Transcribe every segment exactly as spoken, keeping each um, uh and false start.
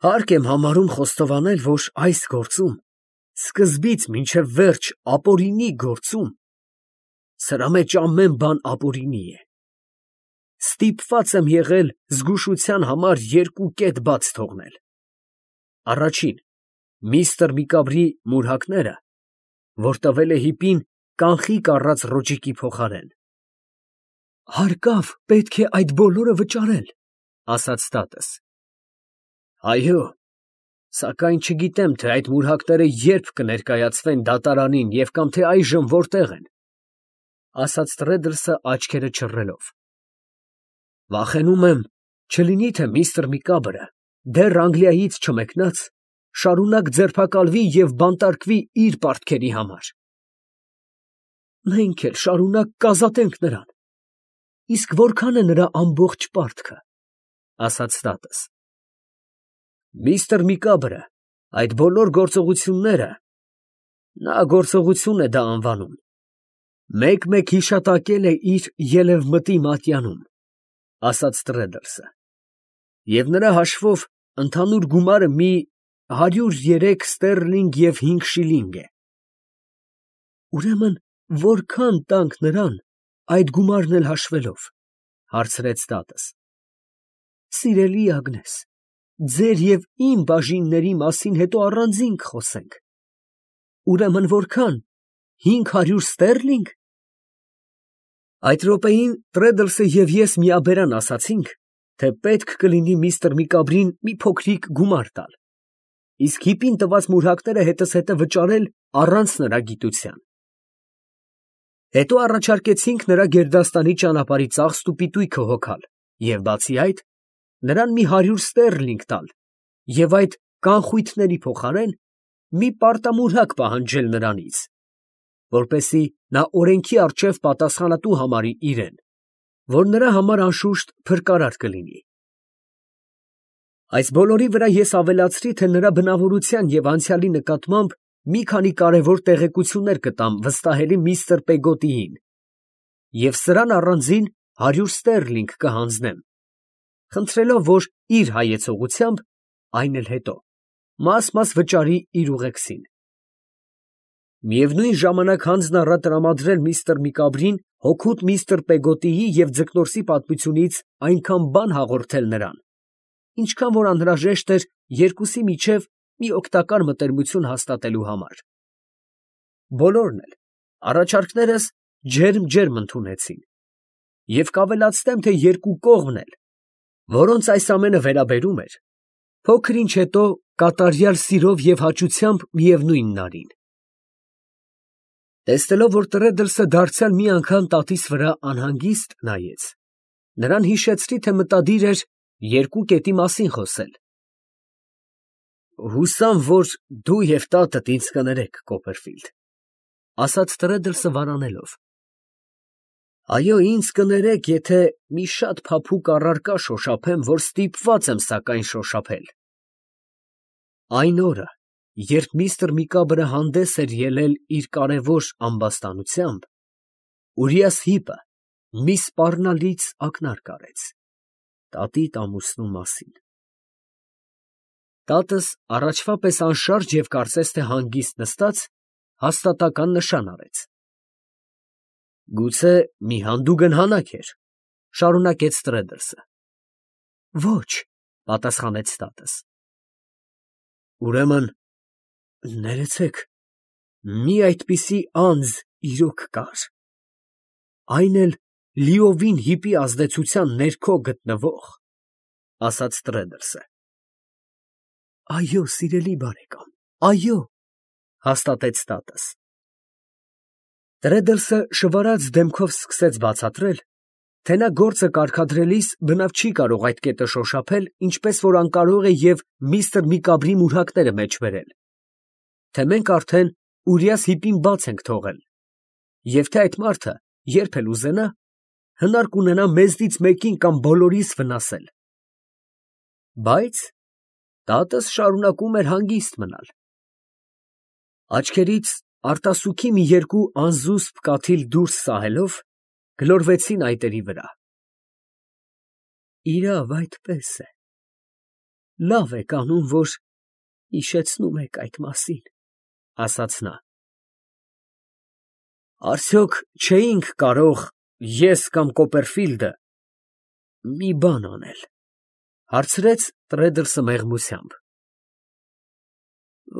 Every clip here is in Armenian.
Հարկ եմ համարում խոստովանել, որ այս գործում, սկզբից մինչև վերջ ապօրինի գործում, սրա մեջ ամեն բան ապօրինի է. ստիպված եմ եղել զգուշության համար երկու կետ բաց թողնել. առաջին, միստր Միկաբրի մուրհակները, որ տվել է հիպին կանխիկ առած ռոճիկի փոխարեն։ Հարկավ, պետք է այդ բոլորը վճարել, ասաց տատս։ Այո, սակայն չգիտեմ, թե այդ մուրհակները երբ կներկայացվեն դատարանին և կամ թե այժմ որտեղ են, ասաց Տրեդլսը աչքերը չռելով։ Վախենում եմ, չլինի թե միստր Միկաբրը, դեռ Անգլիայից չմեկնած, շարունակ ձերբակալվի և բանտարկվի իր պարտքերի համար։ Մենք էլ շարունակ կազատենք նրան, իսկ որքան է նրա ամբողջ պարտքը, ասաց տատս։ Միստր Միկաբրը այդ բոլոր գործողությունները, նա գործողություն է դա անվանում, մեկ֊մեկ հիշատակել է իր ելևմտի մատյանում, ասաց Տրեդլսը, և նրա հաշվով ընդհանուր գումարը մի հարյուր երեք ստերլինգ և հինգ շիլինգ է։ Ուրեմն որքան տանք նրան, այդ գումարն էլ հաշվելով, հարցրեց տատս։ Սիրելի Ագնես, ձեր և իմ բաժինների մասին հետո առանձին կխոսենք։ Ուրեմն որքան, հինգ հարյուր ստերլինգ։ Այդ րոպեին Տրեդլսը և ես միաբերան ասացինք, թե պետք կլինի միստր Միկաբրին մի փոքրիկ գումար տալ, իսկ հիպին տված մուրհակները հետզհետե վճարել առանց նրա գիտության։ Հետո առաջարկեցինք նրա գերդաստանի ճանապարհի ծախսն ու պիտույքը հոգալ և բացի այդ, նրան մի հարյուր ստերլինգ տալ և այդ կանխույթների փոխարեն մի պարտամուրհակ պահանջել նրանից, որպեսզի նա օրենքի առջև պատասխանատու համարի իրեն, որ նրա համար անշուշտ փրկարար կլինի։ Այս բոլորի վրա ես ավելացրի, թե նրա բնավորության և անցյալի նկատմամբ մի քանի կարևոր տեղեկություններ կտամ վստահելի միստր Պեգոտիին և սրան առանձին հարյուր ստերլինգ կհանձնեմ, խնդրելով, որ իր հայեցողությամբ, այն էլ հետո, մաս֊մաս վճարի իր ուղեկցին։ Միևնույն ժամանակ հանձն առա տրամադրել միստր Միկաբրին հօգուտ միստր Պեգոտիի և ձկնորսի պատմությունից այնքան բան հաղորդել նրան, ինչքան որ անհրաժեշտ էր երկուսի միջև մի օգտակար մտերմություն հաստատելու համար։ Բոլորն էլ առաջարկներս ջերմ֊ջերմ ընդունեցին և կավելացնեմ, թե երկու կողմն էլ, որոնց այս ամենը վերաբերում էր, փոքր ինչ հետո կատարյալ սիրով և հաճությամբ միևնույնն արին։ Տեսնելով, որ Տրեդլսը դարձյալ մի անգամ տատիս վրա անհանգիստ նայեց, նրան հիշեցրի, թե մտադիր էր երկու կետի մասին խոսել։ Հուսամ, որ դու և տատդ ինձ կներեք, Կոպերֆիլդ, ասաց Տրեդլսը վարանելով։ Այո, ինձ կներեք, եթե մի շատ փափուկ առարկա շոշափեմ, որ ստիպված եմ սակայն շոշափել։ Այն օրը, երբ միստր Միկաբրը հանդես էր ելել իր կարևոր ամբաստանությամբ, Ուրիաս Հիպը մի սպառնալից ակնարկ արեց տատիդ ամուսնու մասին։ Տատս առաջվա պես անշարժ և կարծես թե հանգիստ նստած, հաստատակամ նշան արեց։ Գուցե մի հանդուգն հանակ էր, շարունակեց Տրեդլսը։ Ոչ, պատասխանեց տատս։ Ուրեմն, ներեցեք, մի այդպիսի անձ իրոք կար, այն էլ լիովին հիպի ազդեցության ներքո գտնվող, ասաց Տրեդլսը։ Այո, սիրելի բարեկամ, այո, հաստատեց տատս։ Տրեդլսը շվարած դեմքով սկսեց բացատրել, թե նա գործը կարգադրելիս բնավ չի կարող այդ կետը շոշափել, ինչպես որ անկարող է և միստր Միկաբրի մուրհակները մեջ բերել, թե մենք արդեն Ուրիաս Հիպին բաց ենք թողել, և թե այդ մարդը, երբ էլ ուզենա, հնար կունենա մեզնից մեկին կամ բոլորիս վնասել։ Բայց տատս շարունակում էր հանգիստ մնալ։ Աչքերից արտասուքի մի երկու անզուսպ կաթիլ դուրս սահելով, գլորվեցին այտերի վրա։ Իրավ, այդպես է։ Լավ եք անում, որ հիշեցնում եք այդ մասին, ֊ ասաց նա։ Արդյոք չէինք կարող ես կամ Կոպերֆիլդը մի բան անել, ֊ հարցրեց Տրեդլսը մեղմությամբ։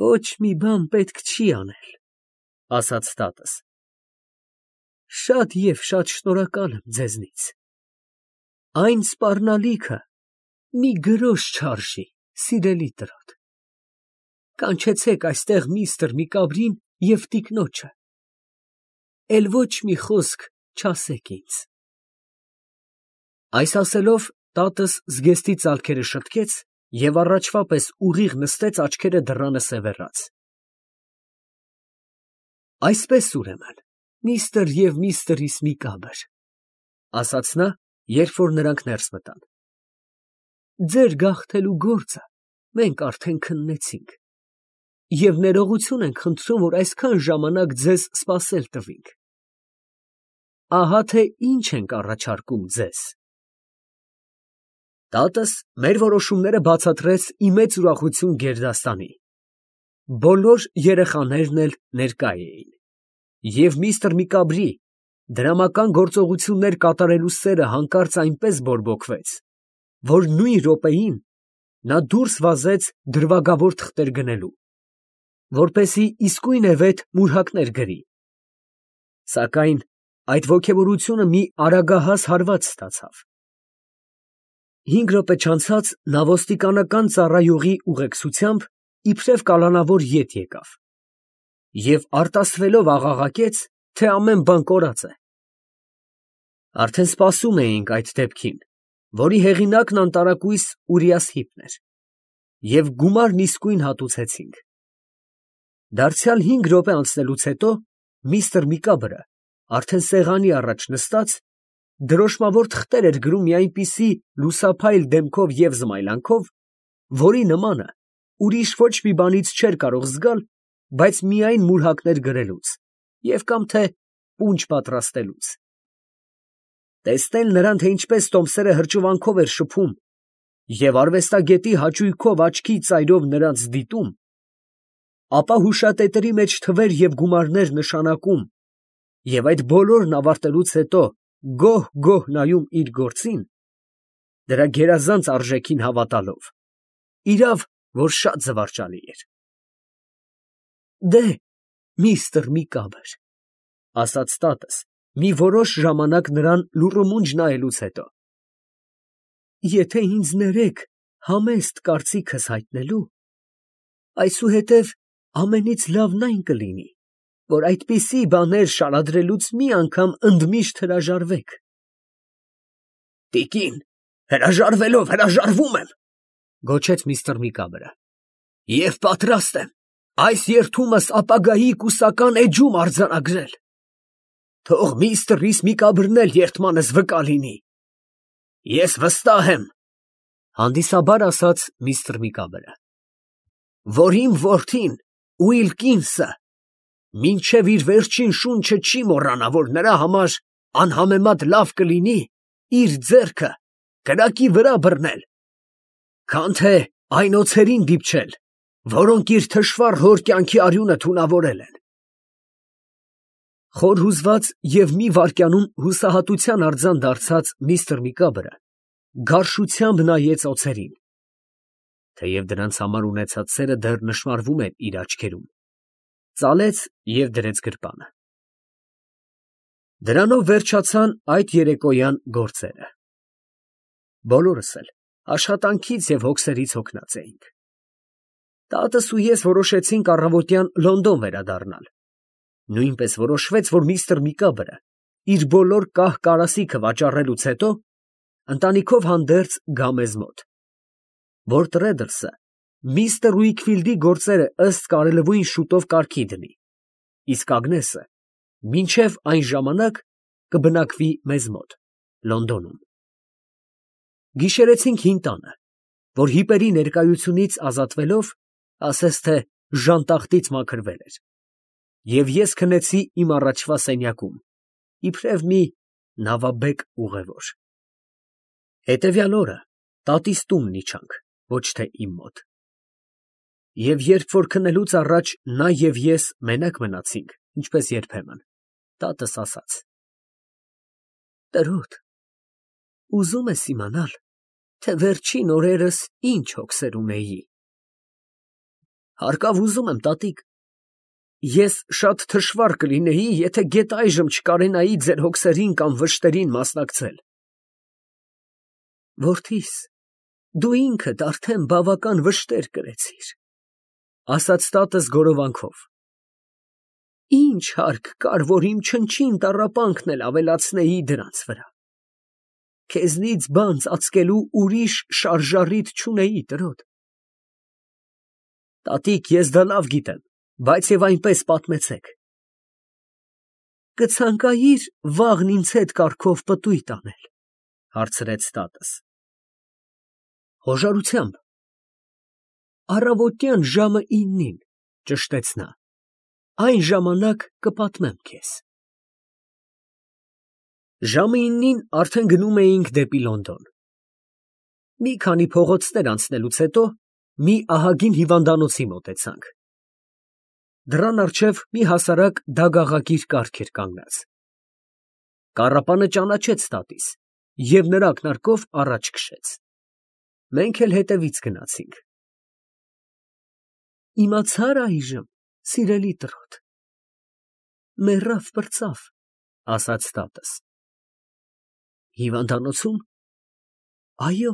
Ոչ մի բան պետք չի անել, ֊ ասաց տատս։ Շատ և շատ շնորհակալ եմ ձեզնից։ Այն սպառնալիքը մի գրոշ չարժի, սիրելի տրոտ։ Կանչեցեք այստեղ միստր Միկաբրին և տիկնոջը, էլ ոչ մի խոսք չասեք ինձ։ Այս ասելով տատս զգեստի ծալքերը շտկեց և առաջվա պես ուղիղ նստեց աչքերը դռանը սևեռած։ Այսպես ուրեմն, միստր և միստրիս Միկաբր, ֊ ասաց նա, երբ որ նրանք ներս մտան, ձեր գաղթելու գործը մենք արդեն քննեցինք և ներողություն ենք խնդրում, որ այսքան ժամանակ ձեզ սպասել տվինք։ Ահա թե ինչ ենք առաջարկում ձեզ։ Տատս մեր որոշումները բացատրեց ի մեծ ուրախություն գերդաստանի։ Բոլոր երեխաներն էլ ներկա էին, և միստր Միկաբրի դրամական գործողություններ կատարելու սերը հանկարծ այնպես բորբոքվեց, որ նույն րոպեին նա դուրս վազեց դրվագավոր թղթեր գնելու, որպեսզի իսկույնևեթ մուրհակներ գրի, սակայն այդ ոգևորությունը մի արագահաս հարված ստացավ։ Հինգ րոպե չանցած նա ոստիկանական ծառայողի ուղեկցությամբ իբրև կալանավոր ետ եկավ և արտասվելով աղաղակեց, թե ամեն բան կորած է։ Արդեն սպասում էինք այդ դեպքին, որի հեղինակն անտարակույս Ուրիաս Հիպն էր, և գումարն իսկույն հատուցեցինք։ Դարձյալ հինգ րոպե անցնելուց հետո միստր Միկաբրը արդեն սեղանի առաջ նստած դրոշմավոր թղթեր էր գրում մի այնպիսի լուսափայլ դեմքով և զմայլանքով, որի նմանը ուրիշ ոչ մի բանից չէր կարող զգալ, բայց միայն մուրհակներ գրելուց և կամ թե պունջ պատրաստելուց։ Տեսնել նրան, թե ինչպես տոմսերը հրճվանքով էր շփում և արվեստագետի հաճույքով աչքի ծայրով նրանց դիտում, ապա հուշատետերի մեջ թվեր և գումարներ նշանակում և այդ բոլորն ավարտելուց հետո գոհ֊գոհ նայում իր գործին, դրա գերազանց արժեքին հավատալով, իրավ, որ շատ զվարճալի էր։ Դե, միստր Միկաբր, ֊ ասաց տատս, մի որոշ ժամանակ նրան լուռումունջ նայելուց հետո, եթե ինձ ներեք համեստ կարծիքս հայտնելու, այսուհետև ամենից լավն այն կլինի, որ այդպիսի բաներ շարադրելուց մի անգամ ընդմիշտ հրաժարվեք։ Տիկին, հրաժարվելով հրաժարվում եմ, ֊ գոչեց միստր Միկաբրը, և պատրաստ եմ այս երդումս ապագայի կուսական էջում արձանագրել։ Թող միստր Միկաբրն էլ երդմանս վկա լինի։ Ես վստահ եմ, ֊ հանդիսաբար ասաց միստր Միկաբրը, որ իմ որդին Ուիլկինսը մինչև իր վերջին շունչը չի մոռանա, որ նրա համար անհամեմատ լավ կլինի իր ձեռքը կրակի վրա բռնել, քան թե այն օձերին դիպչել, որոնք իր թշվառ հոր կյանքի արյունը թունավորել են։ Խոր հուզված և մի վայրկյանում հուսահատության արձան դարձած միստր Միկաբրը գարշությամբ նայեց օձերին, թեև դրանց համար ունեցած սերը դեռ նշմարվում էր իր աչքերում, ծալեց և դրեց գրպանը։ Դրանով վերջացան այդ երեկոյան գործերը։ Բոլորս էլ աշխատանքից և հոգսերից հոգնած էինք։ Տատս ու ես որոշեցինք առավոտյան Լոնդոն վերադառնալ, նույնպես որոշվեց, որ միստր Միկաբրը իր բոլոր կահ֊կարասիքը վաճառելուց հետո ընտանիքով հանդերձ գա մեզ մոտ, որ Տրեդլսը միստր Ուիքֆիլդի գործերը ըստ կարելույն շուտով կարգի դնի, իսկ Ագնեսը մինչև այն ժամանակ կբնակվի մեզ մոտ Լոնդոնում։ Գիշերեցինք հին տանը, որ հիպերի ներկայությունից ազատվելով, ասես թե ժանտախտից մաքրվել էր, և ես քնեցի իմ առաջվա սենյակում, իբրև մի նավաբեկ ուղևոր։ Հետևյալ օրը տատիս տունն իջանք, ոչ թե իմ մոտ։ Եվ երբ որ քննելուց առաջ նա և ես մենակ մնացինք, ինչպես երբեմն, տատս ասաց. «Տրոտ, ուզում ես իմանալ, թե վերջին օրերս ինչ հոգսեր ունեի»։ Հարկավ ուզում եմ, տատիկ, ես շատ թշվառ կլինեի, եթե գեթ այժմ չկարենայի ձեր հոգսերին կամ վշտերին մասնակցել։ Որդիս, դու ինքդ արդեն բավական վշտեր կրեցիր, ասաց տատս գորովանքով։ Ինչ հարկ կար, որ իմ չնչին տառապանքն էլ ավելացնեի դրանց վրա։ Քեզնից բան ծածկելու ուրիշ շարժառիթ չունեի, տրոտ։ Տատիկ, ես դա լավ գիտեմ, բայց և այնպես պատմեցեք։ Կցանկայի՞ր վաղն ինձ հետ կառքով պտույտ անել, հարցրեց տատս։ Խոժարությամբ։ Առավոտյան ժամը իննին, ճշտեց նա, այն ժամանակ կպատմեմ քեզ։ Ժամը իննին արդեն գնում էինք դեպի Լոնդոն։ Մի քանի փողոցներ անցնելուց հետո մի ահագին հիվանդանոցի մոտեցանք։ Դռան առջև մի հասարակ դագաղագիր կառք էր կանգնած։ Կառապանը ճանաչեց տատիս և նրա ակնարկով առաջ քշեց։ Մենք էլ հետևից գնացինք։ Իմացա՞ր այժմ, սիրելի տրոտ, մեռավ, պրծավ, ասաց տատս։ Հիվանդանոցում։ Այո։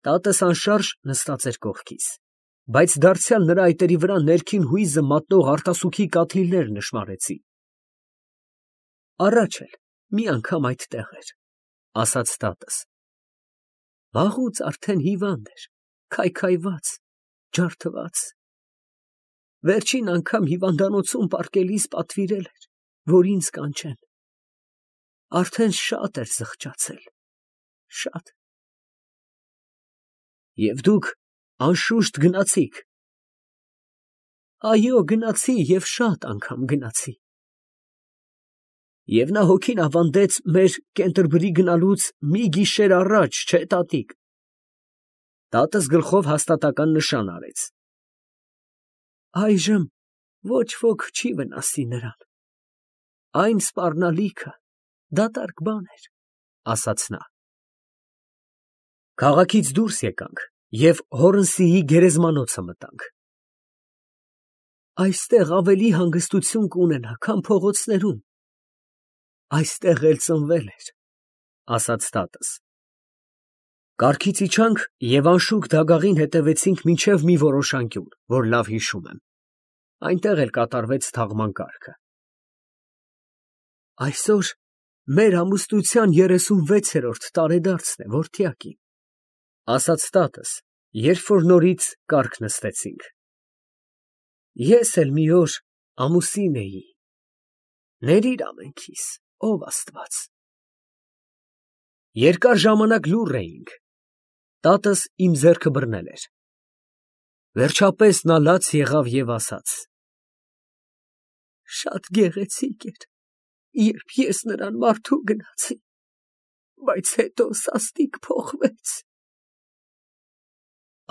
Տատս անշարժ նստած էր կողքիս, բայց դարձյալ նրա այտերի վրա ներքին հույզը մատնող արտասուքի կաթիլներ նշմարեցի։ Առաջ էլ մի անգամ այդտեղ էր, ասաց տատս։ Վաղուց արդեն հիվանդ էր, քայքայված, ջարդված։ Վերջին անգամ հիվանդանոցում պառկելիս պատվիրել էր, որ ինձ կանչեն։ Արդեն շատ էր զղջացել, շատ։ Եվ դուք անշուշտ գնացիք։ Այո, գնացի և շատ անգամ գնացի։ Եվ նա հոգին ավանդեց մեր Կենտերբրի գնալուց մի գիշեր առաջ, չէ՞, տատիկ։ Տատս գլխով հաստատական նշան արեց։ Այժմ ոչ ոք չի վնասի նրան։ Այն սպառնալիքը դատարկ բան էր, ասաց նա։ Քաղաքից դուրս եկանք և Հորնսիի գերեզմանոցը մտանք։ Այստեղ ավելի հանգստություն կունենա, քան փողոցներում։ Այստեղ էլ ծնվել էր, ասաց տատս։ Կառքից իջանք և անշուք դագաղին հետևեցինք մինչև մի որոշ անկյուն, որ լավ հիշում եմ։ Այնտեղ էլ կատարվեց թաղման կարգը։ Այսօր մեր ամուսնության երեսունվեցերորդ տարեդարձն է, որդյակի, ասաց տատս, երբ որ նորից կառք նստեցինք։ Ես էլ մի օր ամուսին էի։ Ներիր ամենքիս, ով Աստված։ Երկար ժամանակ լուռ էինք։ Տատս իմ ձեռքը բռնել էր։ Վերջապես նա լաց եղավ և ասաց. Շատ գեղեցիկ էր, երբ ես նրան մարդու գնացի, բայց հետո սաստիկ փոխվեց։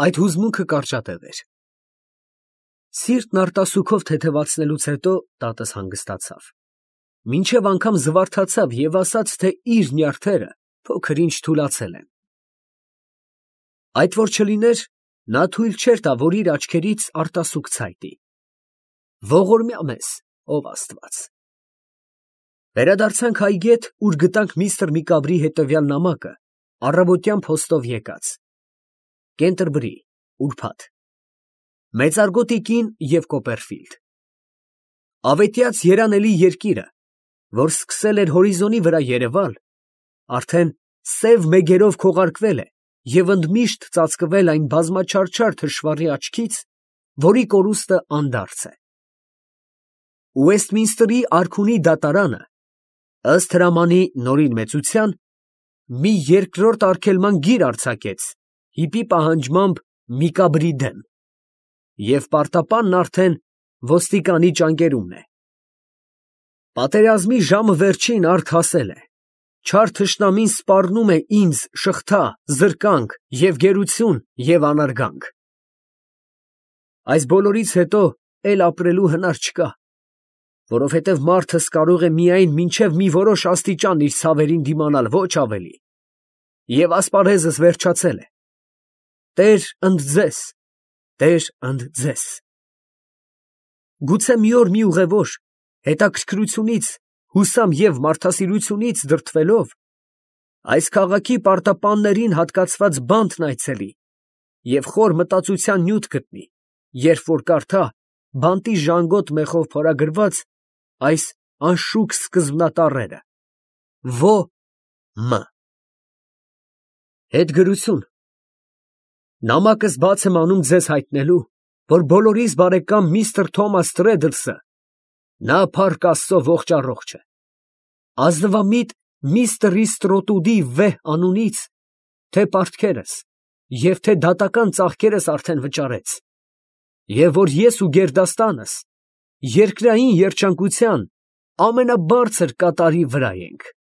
Այդ հուզմունքը կարճատև էր։ Սիրտն արտասուքով թեթևացնելուց հետո տատս հանգստացավ, մինչև անգամ զվարթացավ և ասաց, թե իր նյարդերը փոքր ինչ թուլացել են։ Այդ որ չլիներ, նա թույլ չէր տա, որ իր աչքերից արտասուք ցայտի։ Ողորմյա մեզ, ով Աստված։ Վերադարձանք այգետ, ուր գտանք միստր Միկաբրի հետևյալ նամակը, առավոտյան փոստով եկած։ Կենտերբրի, ուրբաթ։ Մեծարգոտի կին և Կոպերֆիլդ։ Ավետյաց երանելի երկիրը, որ սկսել էր հորիզոնի վրա երևալ, արդեն սև մեգերով քողարկվել է և ընդմիշտ ծածկվել այն բազմաչարչար թշվառի աչքից, որի կորուստը անդարձ է։ Ուեստմինստերի արքունի դատարանը, ըստ հրամանի նորին մեծության, մի երկրորդ արգելման գիր արձակեց հիպի պահանջմամբ Միկաբրի դեմ, և պարտապանն արդեն ոստիկանի ճանկերումն է։ Պատերազմի ժամը վերջին արդ հասել է, չար թշնամին սպառնում է ինձ շղթա, զրկանք և գերություն և անարգանք։ Այս բոլորից հետո էլ ապրելու հնար չկա, որովհետև մարդս կարող է միայն մինչև մի որոշ աստիճան իր ցավերին դիմանալ, ոչ ավելի, և ասպարեզս վերջացել է։ Տեր ընդ ձեզ, Տեր ընդ ձեզ։ Գուցե մի օր մի ուղևոր, հետաքրքրությունից, հուսամ և մարդասիրությունից դրդվելով, այս քաղաքի պարտապաններին հատկացված բանտն այցելի և խոր մտածության նյութ գտնի, երբ որ կարդա բանտի ժանգոտ մեխով փորագրված այս անշուք սկզբնատառերը. Ո. Մ. Հետգրություն։ Նամակս բաց եմ անում ձեզ հայտնելու, որ բոլորիս բարեկամ միստր Թոմաս Թրեդլսը (նա փառք Աստծո ողջ առողջ է) ազնվամիտ միստր Իստրոտուդի վեհ անունից թե՛ պարտքերս և թե՛ դատական ծախքերս արդեն վճարեց, և որ ես ու գերդաստանս երկրային երջանկության ամենաբարձր կատարի վրա ենք։